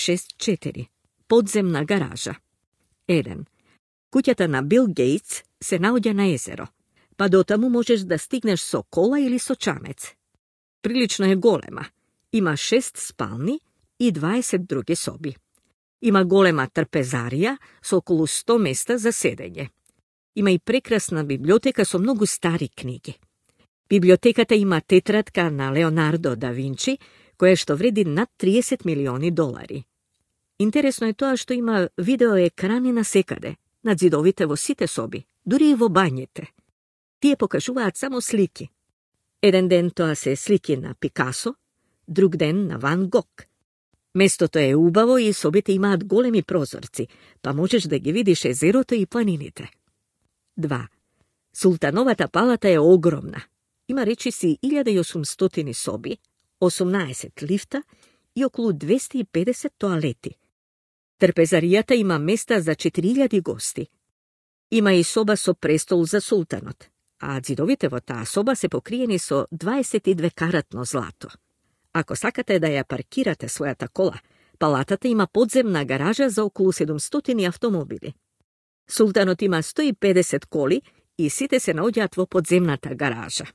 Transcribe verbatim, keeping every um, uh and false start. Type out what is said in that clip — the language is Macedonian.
шест четири. Подземна гаража. еден. Куќата на Бил Гейтс се наоѓа на езеро, па до таму можеш да стигнеш со кола или со чамец. Прилично е голема. Има шест спални и дваесет други соби. Има голема трпезарија со околу сто места за седење. Има и прекрасна библиотека со многу стари книги. Библиотеката има тетрадка на Леонардо да Винчи, која што вреди над триесет милиони долари. Интересно е тоа што има видеоекрани насекаде, над зидовите во сите соби, дури и во бањите. Тие покажуваат само слики. Еден ден тоа се слики на Пикасо, друг ден на Ван Гог. Местото е убаво и собите имаат големи прозорци, па можеш да ги видиш езерото и планините. два. Султановата палата е огромна. Има речиси илјада и осумстотини соби, осумнаесет лифта и околу двесте и педесет тоалети. Трпезаријата има места за четири илјади гости. Има и соба со престол за султанот, а ѕидовите во таа соба се покриени со дваесет и две каратно злато. Ако сакате да ја паркирате својата кола, палатата има подземна гаража за околу седумстотини автомобили. Султанот има сто и педесет коли и сите се наоѓаат во подземната гаража.